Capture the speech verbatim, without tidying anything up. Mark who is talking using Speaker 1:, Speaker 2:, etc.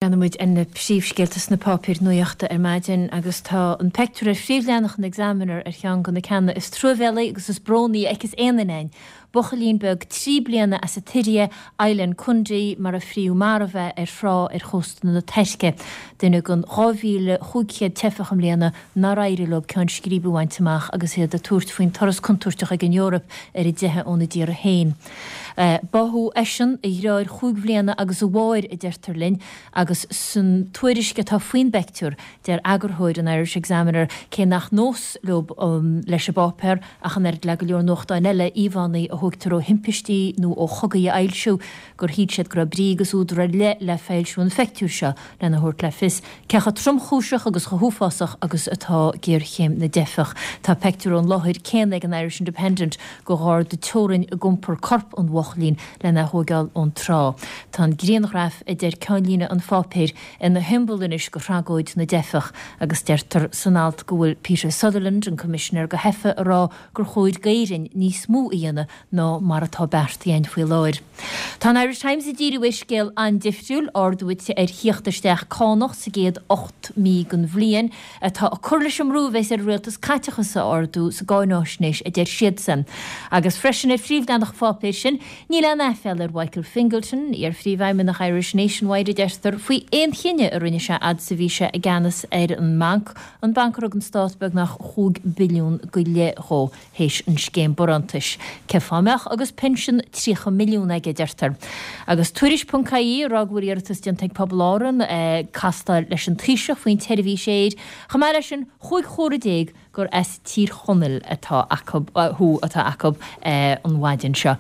Speaker 1: Breathnaímid ar na príomhscéalta sna páipéir nuachta ar maidin agus tá an pictiúr ar phríomhleathanach an Examiner ar cheann de na ceanna is truamhéalaí agus is brónaí a fheicfeas aon duine. Buachaillín beag trí bliana as an tSiria, Aylan Kurdi, mar a fríodh marbh é ar thrá ar chósta na Tuirce. Duine den dhá mhíle chúig chéad teifeach i mbliana nár éirigh leo ceann scríbe a bhaint amach agus iad ag tabhairt faoin turas contúirteach ag an Eoraip ar a dteitheadh óna dtíortha féin. Báthadh eisean, a dheartháir chúig bhliana agus a mháthair, a deirtear linn, agus san tuairisc atá faoin bpictiúr, deir eagarthóir an Irish Examiner cé nach nós leo leis an bpáipéar ach an oiread le go leor nuachtáin eile íomhánna a thógtar ó thimpistí nó ó chogaí a fhoilsiú, gur shíl siad go raibh brí agus údar ar leith le foilsiú an phictiúir seo lena thabhairt le fios cé chomh tromchúiseach agus chomh huafásach agus atá géarchéim na dteifeach. Tá pictiúr ón láthair céanna ag an Irish Independent de gharda teorann ag iompar corp an bhuachaillín lena thógáil ón trá. Tá an grianghraf, a deir ceannlíne an pháipéir, ina shiombail anois de thragóid na dteifeach agus deirtear san alt go bhfuil Peter Sutherland, an Coimisinéir do Theifigh, ag rá gur chóir d'Éirinn níos mó a dhéanamh ná mar atá beartaithe againn faoi láthair. Tá an Irish Times ag díriú ar scéal an-difriúil, ardú ar thíocht isteach cánach sa gcéad ocht mí den bhliain, atá ag cur leis an mbrú a bheas ar an rialtas caiteachas a ardú sa gcáináisnéis, a deir siadsan. Agus freisin ar phríomhleathanach an pháipéir sin, níl aon aiféala ar Mhichael Fingleton, iar-phríomhfheidhmeannach Irish Nationwide, a deirtear, faoi aon chinneadh a rinne sé fhad is a bhí sé i gceannas ar an mbanc, an banc a rug an stát beagnach chúig billiún go leith dhó théis an scéim barántais. Cé fáth a mbeadh agus pinsean tríocha milliún aige, a deirtear. Agus Tuairisc ponc ie ag rá go bhfuil iarratas déanta ag Pobal Árann castáil leis an Taoiseach faoin tseirbhís aeir. Chomh maith leis sin, chúig chomhartha déag gur as Tír Chonaill atá acu, thú atá acu an mhaidin seo.